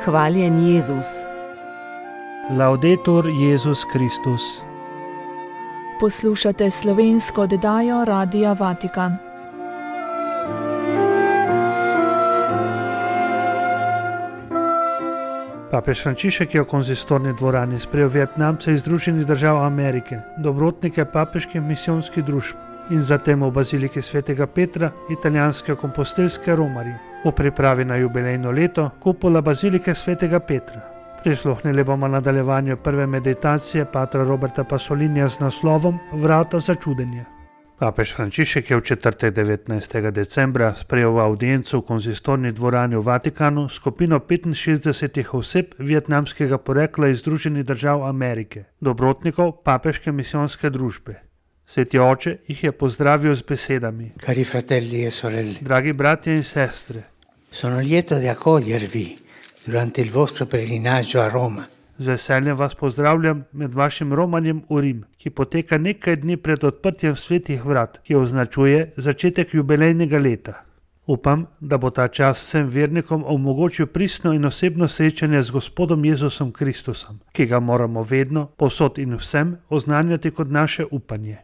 Hvaljen Jezus. Laudetur Jezus Kristus. Poslušate slovensko oddajo Radia Vatikan. Papež Frančišek je v konzistorni dvorani sprejel Vietnamce iz Združenih držav Amerike, dobrotnike papeških misijonskih družb, in zatem v baziliki svetega Petra, italijanske kompostelske romarje, v pripravi na jubilejno leto kupola bazilike svetega Petra. Prisluhnili bomo nadaljevanju prve meditacije patra Roberta Pasolinija z naslovom Vrata za čudenje. Papež Frančišek je v četrtek 19. decembra sprejel v audiencu v konzistorni dvorani v Vatikanu skupino 65 oseb vietnamskega porekla iz Združenih držav Amerike, dobrotnikov papeške misijonske družbe. Sveti oče jih je pozdravil z besedami: Cari fratelli e sorelle, dragi bratje in sestre, sono lieto di accogliervi durante il vostro pellegrinaggio a Roma. Z veseljem vas pozdravljam med vašim romanjem v Rim, ki poteka nekaj dni pred odprtjem svetih vrat, ki označuje začetek jubilejnega leta. Upam, da bo ta čas vsem vernikom omogočil pristno in osebno srečanje z Gospodom Jezusom Kristusom, ki ga moramo vedno, povsod in vsem oznanjati kot naše upanje.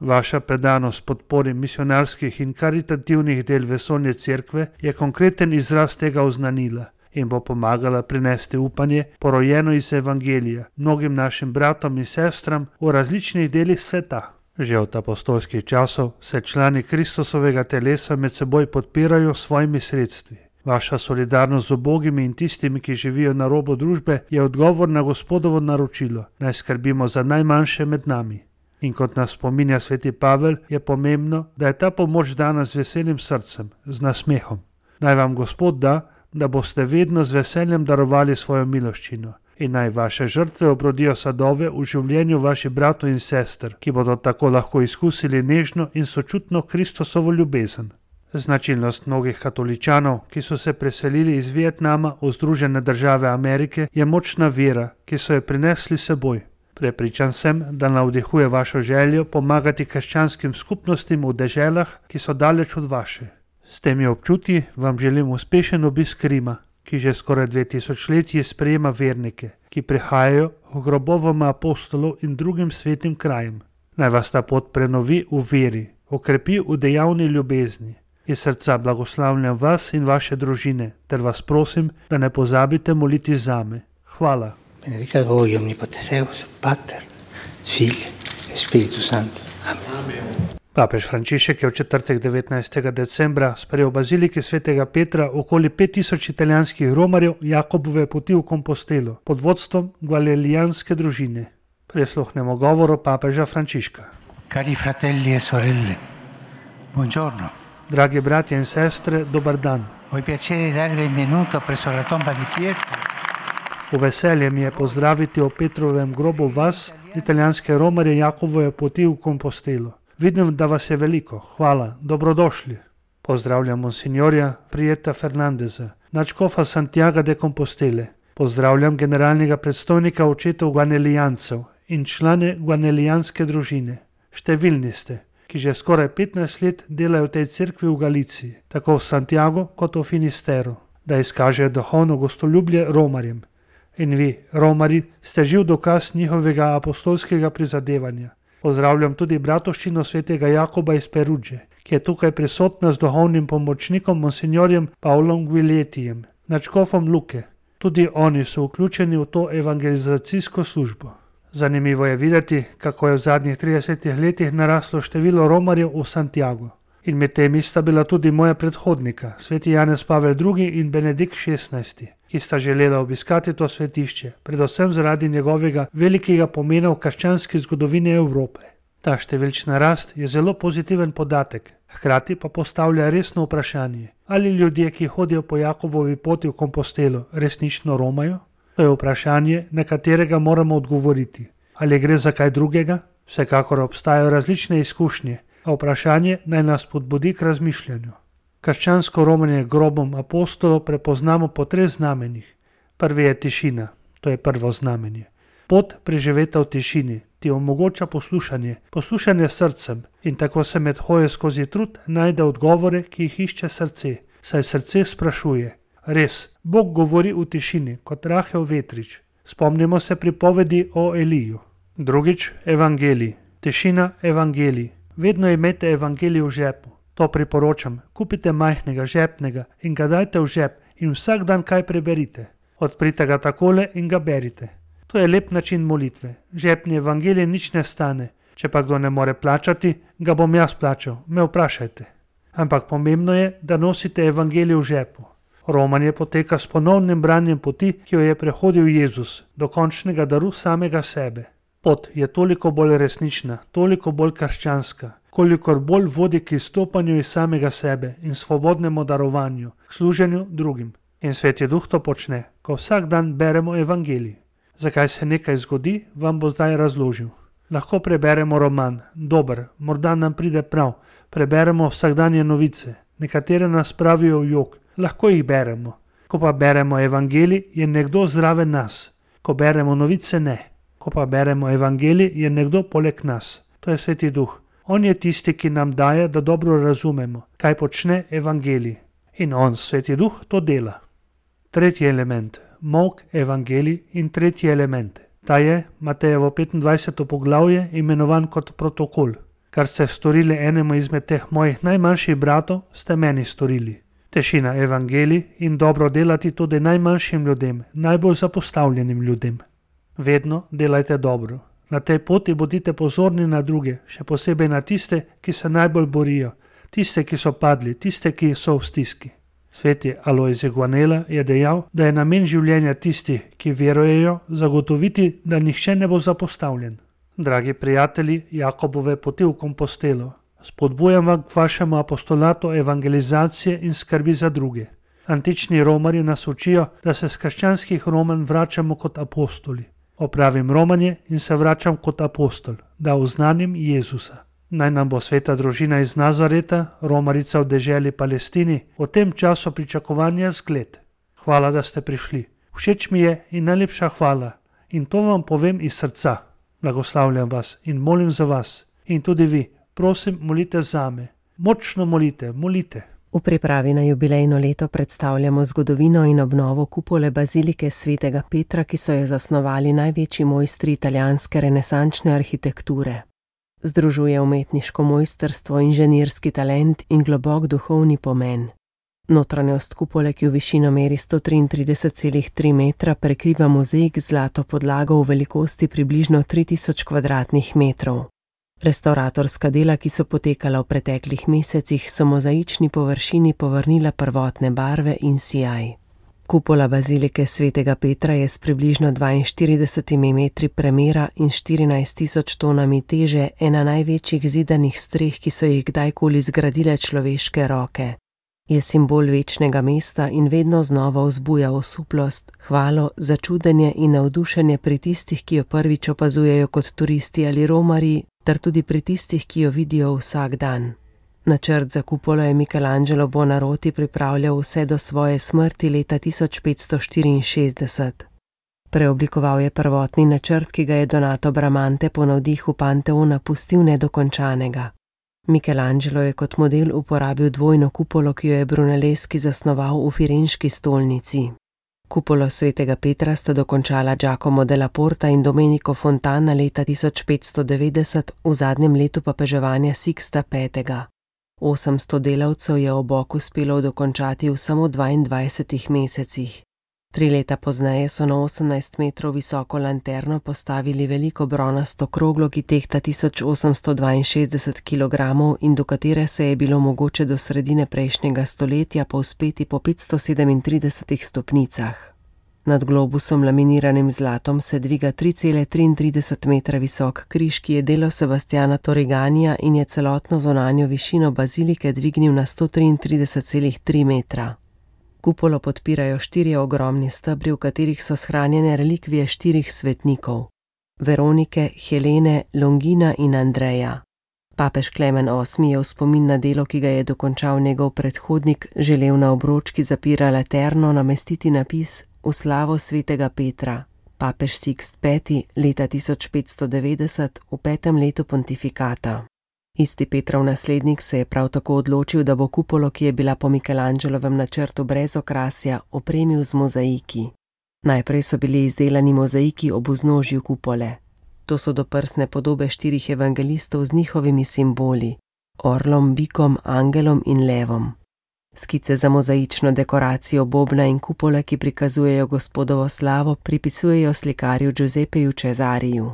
Vaša predanost podpori misionarskih in karitativnih del vesoljne cerkve je konkreten izraz tega oznanila in bo pomagala prinesti upanje, porojeno iz evangelija, mnogim našim bratom in sestram v različnih delih sveta. Že od apostolskih časov se člani Kristusovega telesa med seboj podpirajo s svojimi sredstvi. Vaša solidarnost z ubogimi in tistimi, ki živijo na robu družbe, je odgovor na Gospodovo naročilo, naj skrbimo za najmanjše med nami. In kot nas spominja sveti Pavel, je pomembno, da je ta pomoč dana z veselim srcem, z nasmehom. Naj vam Gospod da boste vedno z veseljem darovali svojo miloščino in naj vaše žrtve obrodijo sadove v življenju vaših bratov in sester, ki bodo tako lahko izkusili nežno in sočutno Kristusovo ljubezen. Značilnost mnogih katoličanov, ki so se preselili iz Vietnama v Združene države Amerike, je močna vera, ki so jo prinesli seboj. Prepričan sem, da navdihuje vašo željo pomagati krščanskim skupnostim v deželah, ki so daleč od vaše. S temi občutki vam želim uspešen obisk Rima, ki že skoraj 2000 let sprejema vernike, ki prihajajo v grobovoma apostolov in drugim svetim krajem. Naj vas ta pot prenovi v veri, okrepi v dejavni ljubezni. Iz srca blagoslavljam vas in vaše družine, ter vas prosim, da ne pozabite moliti zame. Hvala. Benedicat voi omnipotens Deus, Pater, Figlio e Spiritus Sancto. Amen. Papež Frančišek je v četrtek 19. decembra sprejel v baziliki svetega Petra okoli 5000 italijanskih romarjev Jakobove poti v Kompostelo pod vodstvom gvalelijanske družine. Prisluhnemo govoru papeža Frančiška. Cari fratelli e sorelle, buongiorno. Dragi bratje in sestre, dober dan. Ho il piacere di darvi il benvenuto presso la tomba di Pietro. V veselje mi je pozdraviti o Petrovem grobu vas, italijanske romarje Jakobove poti v Kompostelo. Vidim, da vas je veliko. Hvala. Dobrodošli. Pozdravljam monsignorja Prijeta Fernandeza, nadškofa Santiaga de Compostele. Pozdravljam generalnega predstojnika očetov gvanelijancev in člane gvanelijanske družine. Številni ste, ki že skoraj 15 let delajo v tej cerkvi v Galiciji, tako v Santiago kot v Finisteru, da izkažejo duhovno gostoljublje romarjem. In vi, romari, ste živ dokaz njihovega apostolskega prizadevanja. Pozdravljam tudi bratovščino svetega Jakoba iz Perudže, ki je tukaj prisotna z duhovnim pomočnikom monsignorjem Pavlom Guiletijem, nadškofom Luke. Tudi oni so vključeni v to evangelizacijsko službo. Zanimivo je videti, kako je v zadnjih 30 letih naraslo število romarjev v Santiago. In med temi sta bila tudi moja predhodnika, sveti Janez Pavel II. In Benedikt XVI., ki sta želela obiskati to svetišče, predvsem zaradi njegovega velikega pomena v krščanski zgodovini Evrope. Ta številčna rast je zelo pozitiven podatek, hkrati pa postavlja resno vprašanje, ali ljudje, ki hodijo po Jakobovi poti v Kompostelo, resnično romajo? To je vprašanje, na katerega moramo odgovoriti. Ali gre za kaj drugega? Vsekakor obstajajo različne izkušnje, a vprašanje naj nas spodbudi k razmišljanju. Krščansko romanje grobom apostolov prepoznamo po 3 znamenjih. Prvi je tišina, to je prvo znamenje. Pot preživeta v tišini ti omogoča poslušanje srcem in tako se med hojo skozi trud najde odgovore, ki jih išče srce, saj srce sprašuje, Res, Bog govori v tišini, kot rahel vetrič. Spomnimo se pripovedi o Eliju. Drugič, evangelij. Tišina evangelij. Vedno imejte evangelij v žepu. To priporočam. Kupite majhnega, žepnega in ga dajte v žep in vsak dan kaj preberite. Odprite ga takole in ga berite. To je lep način molitve. Žepni evangelij nič ne stane. Če pa kdo ne more plačati, ga bom jaz plačal. Me vprašajte. Ampak pomembno je, da nosite evangelij v žepu. Romanje poteka s ponovnim branjem poti, ki jo je prehodil Jezus, do končnega daru samega sebe. Pot je toliko bolj resnična, toliko bolj krščanska, kolikor bolj vodi k izstopanju iz samega sebe in svobodnemu darovanju, k služenju drugim. In Sveti Duh to počne, ko vsak dan beremo evangelij. Zakaj se nekaj zgodi, vam bo zdaj razložil. Lahko preberemo roman, dober, morda nam pride prav, preberemo vsakdanje novice, nekatere nas pravijo v jok, lahko jih beremo. Ko pa beremo evangelij, je nekdo zraven nas. Ko beremo novice, ne. Ko pa beremo evangelij, je nekdo poleg nas. To je Sveti Duh. On je tisti, ki nam daje, da dobro razumemo, kaj počne evangelij. In on, Sveti Duh, to dela. Tretji element. Molk, evangelij in tretji element. Ta je, Matejevo 25. poglavje, imenovan kot protokol. Kar ste storili enemu izmed teh mojih najmanjših bratov, ste meni storili. Tišina evangelij in dobro delati tudi najmanjšim ljudem, najbolj zapostavljenim ljudem. Vedno delajte dobro. Na tej poti bodite pozorni na druge, še posebej na tiste, ki se najbolj borijo, tiste, ki so padli, tiste, ki so v stiski. Sveti Alojzij Guanela je dejal, da je namen življenja tistih, ki verujejo, zagotoviti, da nihče ne bo zapostavljen. Dragi prijatelji Jakobove poti v Kompostelo, spodbujam vam k vašemu apostolatu evangelizacije in skrbi za druge. Antični romarji nas učijo, da se z krščanskih romanj vračamo kot apostoli. Opravim romanje in se vračam kot apostol, da oznanim Jezusa. Naj nam bo sveta družina iz Nazareta, romarica v deželi Palestini, v tem času pričakovanja zgled. Hvala, da ste prišli. Všeč mi je in najlepša hvala. In to vam povem iz srca. Blagoslavljam vas in molim za vas. In tudi vi, prosim, molite zame. Močno molite, molite. V pripravi na jubilejno leto predstavljamo zgodovino in obnovo kupole bazilike svetega Petra, ki so jo zasnovali največji mojstri italijanske renesančne arhitekture. Združuje umetniško mojstrstvo, inženirski talent in globok duhovni pomen. Notranjost kupole, ki v višino meri 133,3 metra, prekriva mozaik z zlato podlago v velikosti približno 3000 kvadratnih metrov. Restavratorska dela, ki so potekala v preteklih mesecih, so mozaični površini povrnila prvotne barve in sijaj. Kupola bazilike svetega Petra je s približno 42 metri premera in 14.000 tonami teže ena največjih zidanih streh, ki so jih kdajkoli zgradile človeške roke. Je simbol večnega mesta in vedno znova vzbuja osuplost, hvalo, začudenje in navdušenje pri tistih, ki jo prvič opazujejo kot turisti ali romarji, ter tudi pri tistih, ki jo vidijo vsak dan. Načrt za kupolo je Michelangelo Buonarroti pripravljal vse do svoje smrti leta 1564. Preoblikoval je prvotni načrt, ki ga je Donato Bramante po navdihu Panteona pustil nedokončanega. Michelangelo je kot model uporabil dvojno kupolo, ki jo je Brunelleschi zasnoval v Firenški stolnici. Kupolo svetega Petra sta dokončala Giacomo della Porta in Domenico Fontana leta 1590, v zadnjem letu papeževanja Sixta V. 800 delavcev je obok uspelo dokončati v samo 22 mesecih. 3 leta pozneje so na 18 metrov visoko lanterno postavili veliko bronasto kroglo, ki tehta 1862 kg in do katere se je bilo mogoče do sredine prejšnjega stoletja povzpeti po 537 stopnicah. Nad globusom laminiranim zlatom se dviga 3,33 metra visok križ, ki je delo Sebastiana Torriganija in je celotno zunanjo višino bazilike dvignil na 133,3 metra. Kupolo podpirajo 4 ogromni stebri, v katerih so shranjene relikvije 4 svetnikov: Veronike, Helene, Longina in Andreja. Papež Klemen VIII je v spomin na delo, ki ga je dokončal njegov predhodnik, želel na obročki zapira laterno namestiti napis V slavo svetega Petra. Papež Sixt V leta 1590 v 5. letu pontifikata. Isti Petrov naslednik se je prav tako odločil, da bo kupolo, ki je bila po Michelangelovem načrtu brez okrasja, opremil z mozaiki. Najprej so bili izdelani mozaiki ob vznožju kupole. To so doprsne podobe 4 evangelistov z njihovimi simboli: orlom, bikom, angelom in levom. Skice za mozaično dekoracijo bobna in kupole, ki prikazujejo Gospodovo slavo, pripisujejo slikarju Giuseppeju Cesariju.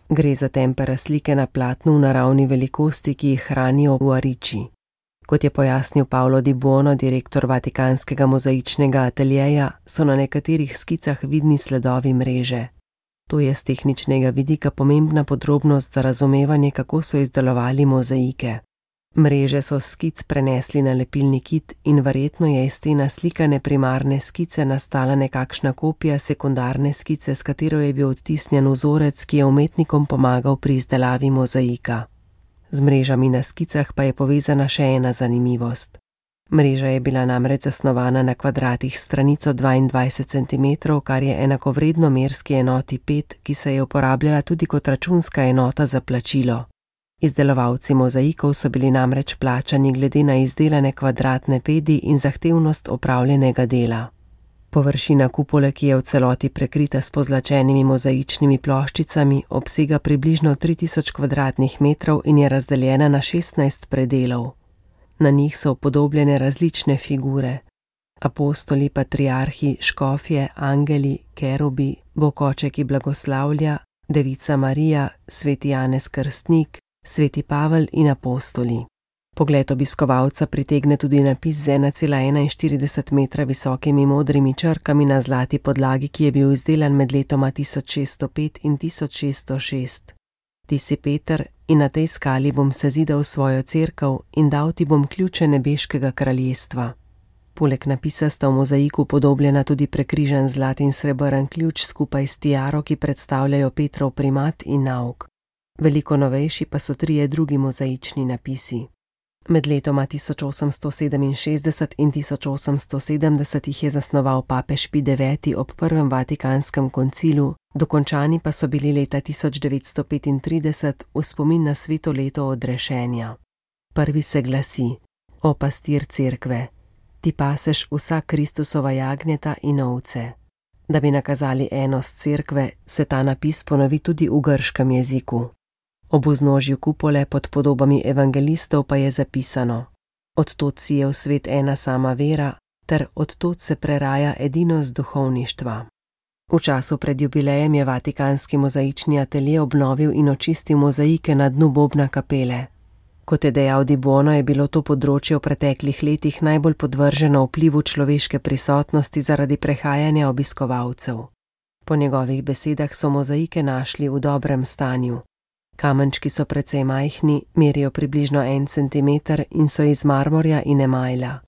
Gre za tempera slike na platnu v naravni velikosti, ki jih hranijo v Ariči. Kot je pojasnil Paolo Di Buono, direktor Vatikanskega mozaičnega ateljeja, so na nekaterih skicah vidni sledovi mreže. To je z tehničnega vidika pomembna podrobnost za razumevanje, kako so izdelovali mozaike. Mreže so skic prenesli na lepilni kit in verjetno je iz te naslikane primarne skice nastala nekakšna kopija sekundarne skice, s katero je bil odtisnjen vzorec, ki je umetnikom pomagal pri izdelavi mozaika. Z mrežami na skicah pa je povezana še ena zanimivost. Mreža je bila namreč zasnovana na kvadratih s stranico 22 cm, kar je enakovredno merski enoti 5, ki se je uporabljala tudi kot računska enota za plačilo. Izdelovalci mozaikov so bili namreč plačani glede na izdelane kvadratne pedi in zahtevnost opravljenega dela. Površina kupole, ki je v celoti prekrita s pozlačenimi mozaičnimi ploščicami, obsega približno 3000 kvadratnih metrov in je razdeljena na 16 predelov. Na njih so upodobljene različne figure: apostoli, patriarhi, škofje, angeli, kerubi, Bog Oče, ki blagoslavlja, Devica Marija, sveti Janez Krstnik, sveti Pavel in apostoli. Pogled obiskovalca pritegne tudi napis z 1,41 metra visokimi modrimi črkami na zlati podlagi, ki je bil izdelan med letoma 1605 in 1606. Ti si Peter, in na tej skali bom sezidal svojo cerkev in dal ti bom ključe nebeškega kraljestva. Poleg napisa sta v mozaiku podobljena tudi prekrižan zlat in srebrn ključ skupaj s tiaro, ki predstavljajo Petrov primat in nauk. Veliko novejši pa so 3 drugi mozaični napisi. Med letoma 1867 in 1870 jih je zasnoval papež Pij IX ob prvem Vatikanskem koncilu, dokončani pa so bili leta 1935 v spomin na sveto leto odrešenja. Prvi se glasi: O pastir cerkve, ti paseš vsa Kristusova jagnjeta in ovce. Da bi nakazali enost cerkve, se ta napis ponovi tudi v grškem jeziku. Ob vznožju kupole pod podobami evangelistov pa je zapisano: Od tod si je v svet ena sama vera, ter od tod se preraja edinost duhovništva. V času pred jubilejem je Vatikanski mozaični atelje obnovil in očistil mozaike na dnu bobna kapele. Kot je dejal Di Buono, je bilo to področje v preteklih letih najbolj podvrženo vplivu človeške prisotnosti zaradi prehajanja obiskovalcev. Po njegovih besedah so mozaike našli v dobrem stanju. Kamenčki so precej majhni, merijo približno 1 cm in so iz marmorja in emajla.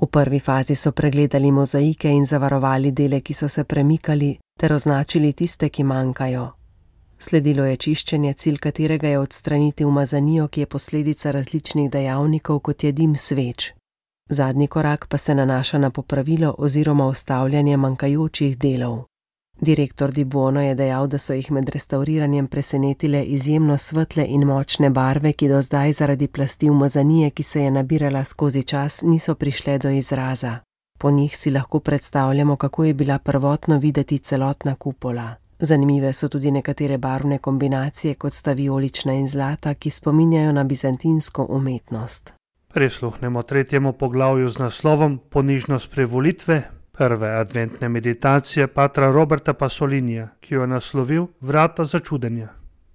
V prvi fazi so pregledali mozaike in zavarovali dele, ki so se premikali, ter označili tiste, ki manjkajo. Sledilo je čiščenje, cilj katerega je odstraniti umazanijo, ki je posledica različnih dejavnikov, kot je dim sveč. Zadnji korak pa se nanaša na popravilo oziroma ustavljanje manjkajočih delov. Direktor Di Buono je dejal, da so jih med restauriranjem presenetile izjemno svetle in močne barve, ki do zdaj zaradi plasti umazanije, ki se je nabirala skozi čas, niso prišle do izraza. Po njih si lahko predstavljamo, kako je bila prvotno videti celotna kupola. Zanimive so tudi nekatere barvne kombinacije, kot sta vijolična in zlata, ki spominjajo na bizantinsko umetnost. Prisluhnemo 3. poglavju z naslovom Ponižnost privolitve, prve adventne meditacije patra Roberta Pasolinija, ki jo je naslovil Vrata začudenja.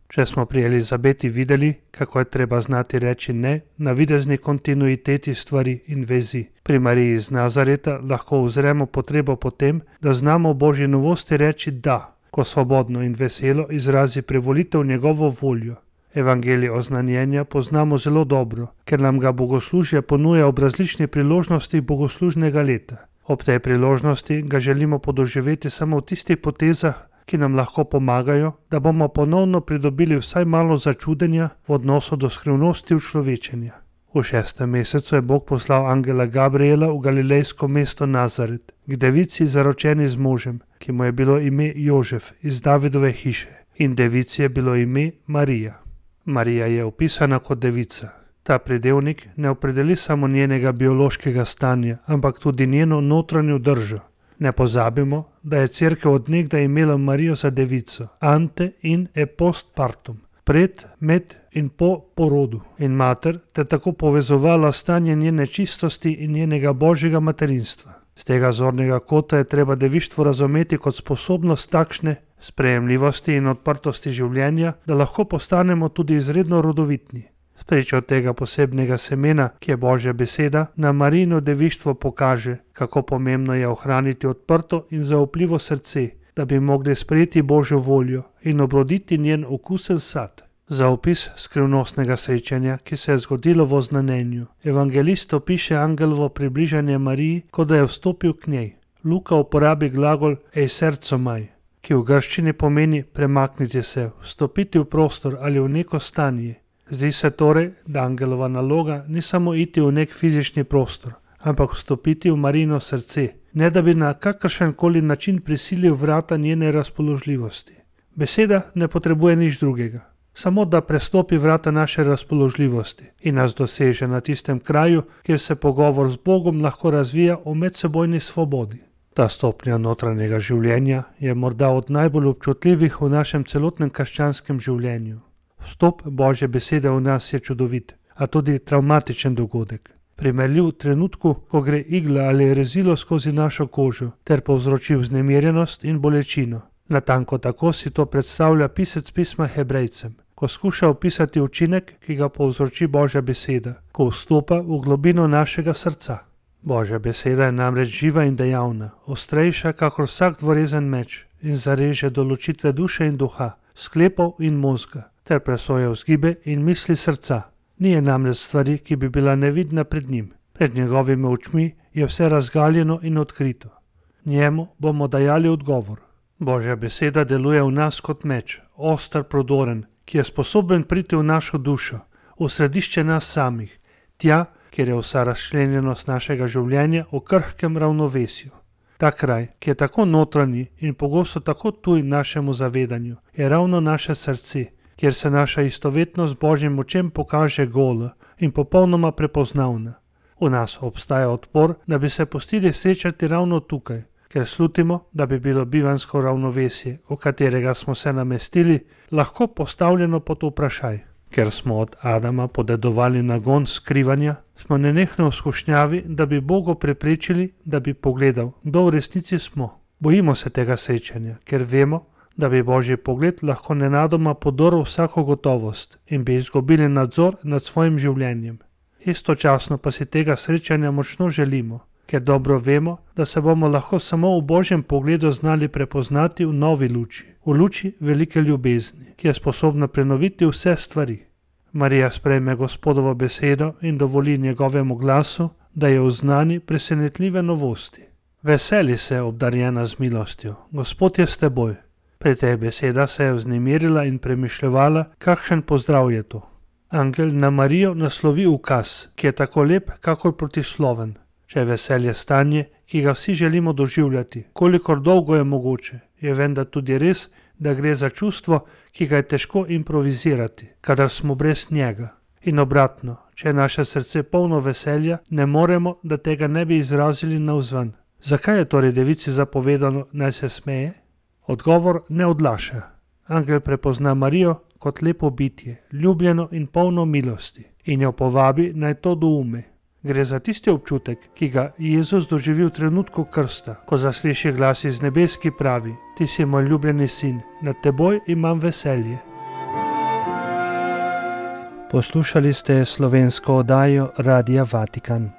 Če smo pri Elizabeti videli, kako je treba znati reči ne navidezni kontinuiteti stvari in vezi, pri Mariji iz Nazareta lahko uzremo potrebo po tem, da znamo v Božji novosti reči da, ko svobodno in veselo izrazi privolitev njegovo voljo. Evangelij oznanjenja poznamo zelo dobro, ker nam ga bogoslužje ponuja ob različnih priložnostih bogoslužnega leta. Ob tej priložnosti ga želimo podoživeti samo v tistih potezah, ki nam lahko pomagajo, da bomo ponovno pridobili vsaj malo začudenja v odnosu do skrivnosti učlovečenja. V 6. mesecu je Bog poslal angela Gabriela v galilejsko mesto Nazaret, k devici zaročeni z možem, ki mu je bilo ime Jožef iz Davidove hiše, in devici je bilo ime Marija. Marija je opisana kot devica. Ta pridevnik ne opredeli samo njenega biološkega stanja, ampak tudi njeno notranjo držo. Ne pozabimo, da je Cerkev od nekdaj imela Marijo za devico, ante in post partum, pred, med in po porodu in mater, ter tako povezovala stanje njene čistosti in njenega božjega materinstva. Z tega zornega kota je treba devištvo razumeti kot sposobnost takšne sprejemljivosti in odprtosti življenja, da lahko postanemo tudi izredno rodovitni. Spričo tega posebnega semena, ki je Božja beseda, nam Marijino devištvo pokaže, kako pomembno je ohraniti odprto in zaupljivo srce, da bi mogli sprejeti Božjo voljo in obroditi njen okusen sad. Za opis skrivnostnega srečanja, ki se je zgodilo v oznanjenju, evangelist opiše angelovo približanje Mariji, kot da je vstopil k njej. Luka uporabi glagol eisercomai, ki v grščini pomeni premakniti se, vstopiti v prostor ali v neko stanje. Zdi se torej, da angelova naloga ni samo iti v nek fizični prostor, ampak vstopiti v Marijino srce, ne da bi na kakršenkoli način prisilil vrata njene razpoložljivosti. Beseda ne potrebuje nič drugega, samo da prestopi vrata naše razpoložljivosti in nas doseže na tistem kraju, kjer se pogovor z Bogom lahko razvija v medsebojni svobodi. Ta stopnja notranjega življenja je morda od najbolj občutljivih v našem celotnem krščanskem življenju. Vstop Božje besede v nas je čudovit, a tudi travmatičen dogodek. Primerljiv trenutku, ko gre igla ali rezilo skozi našo kožo ter povzroči vznemirjenost in bolečino. Natanko tako si to predstavlja pisec pisma Hebrejcem, ko skuša opisati učinek, ki ga povzroči Božja beseda, ko vstopa v globino našega srca. Božja beseda je namreč živa in dejavna, ostrejša kakor vsak dvorezen meč in zareže do ločitve duše in duha, sklepov in možga, ter presoja vzgibe in misli srca. Ni je namreč stvari, ki bi bila nevidna pred njim. Pred njegovimi očmi je vse razgaljeno in odkrito. Njemu bomo dajali odgovor. Božja beseda deluje v nas kot meč, oster, prodoren, ki je sposoben priti v našo dušo, v središče nas samih, tja, kjer je vsa razčlenjenost našega življenja v krhkem ravnovesju. Ta kraj, ki je tako notranji in pogosto tako tuj našemu zavedanju, je ravno naše srce, kjer se naša istovetnost z Božjim močem pokaže gola in popolnoma prepoznavna. V nas obstaja odpor, da bi se pustili srečati ravno tukaj, ker slutimo, da bi bilo bivansko ravnovesje, v katerega smo se namestili, lahko postavljeno pod vprašaj. Ker smo od Adama podedovali nagon skrivanja, smo nenehno v skušnjavi, da bi Bogu preprečili, da bi pogledal, kdo v resnici smo. Bojimo se tega srečanja, ker vemo, da bi Božji pogled lahko nenadoma podoril vsako gotovost in bi izgubili nadzor nad svojim življenjem. Istočasno pa si tega srečanja močno želimo, ker dobro vemo, da se bomo lahko samo v Božjem pogledu znali prepoznati v novi luči, v luči velike ljubezni, ki je sposobna prenoviti vse stvari. Marija sprejme Gospodovo besedo in dovoli njegovemu glasu, da je oznani presenetljive novosti. Veseli se, obdarjena z milostjo, Gospod je s teboj. Pri tej besedah se je vznemirila in premišljevala, kakšen pozdrav je to. Angel na Marijo naslovi ukaz, ki je tako lep, kakor protisloven. Če je veselje stanje, ki ga vsi želimo doživljati, kolikor dolgo je mogoče, je vendar tudi res, da gre za čustvo, ki ga je težko improvizirati, kadar smo brez njega. In obratno, če je naše srce polno veselja, ne moremo, da tega ne bi izrazili navzven. Zakaj je torej devici zapovedano, naj se smeje? Odgovor ne odlaša. Angel prepozna Marijo kot lepo bitje, ljubljeno in polno milosti, in jo povabi, naj to doume. Gre za tisti občutek, ki ga Jezus doživi v trenutku krsta, ko zasliši glas iz nebes, ki pravi: Ti si moj ljubljeni sin, nad teboj imam veselje. Poslušali ste slovensko oddajo Radia Vatikan.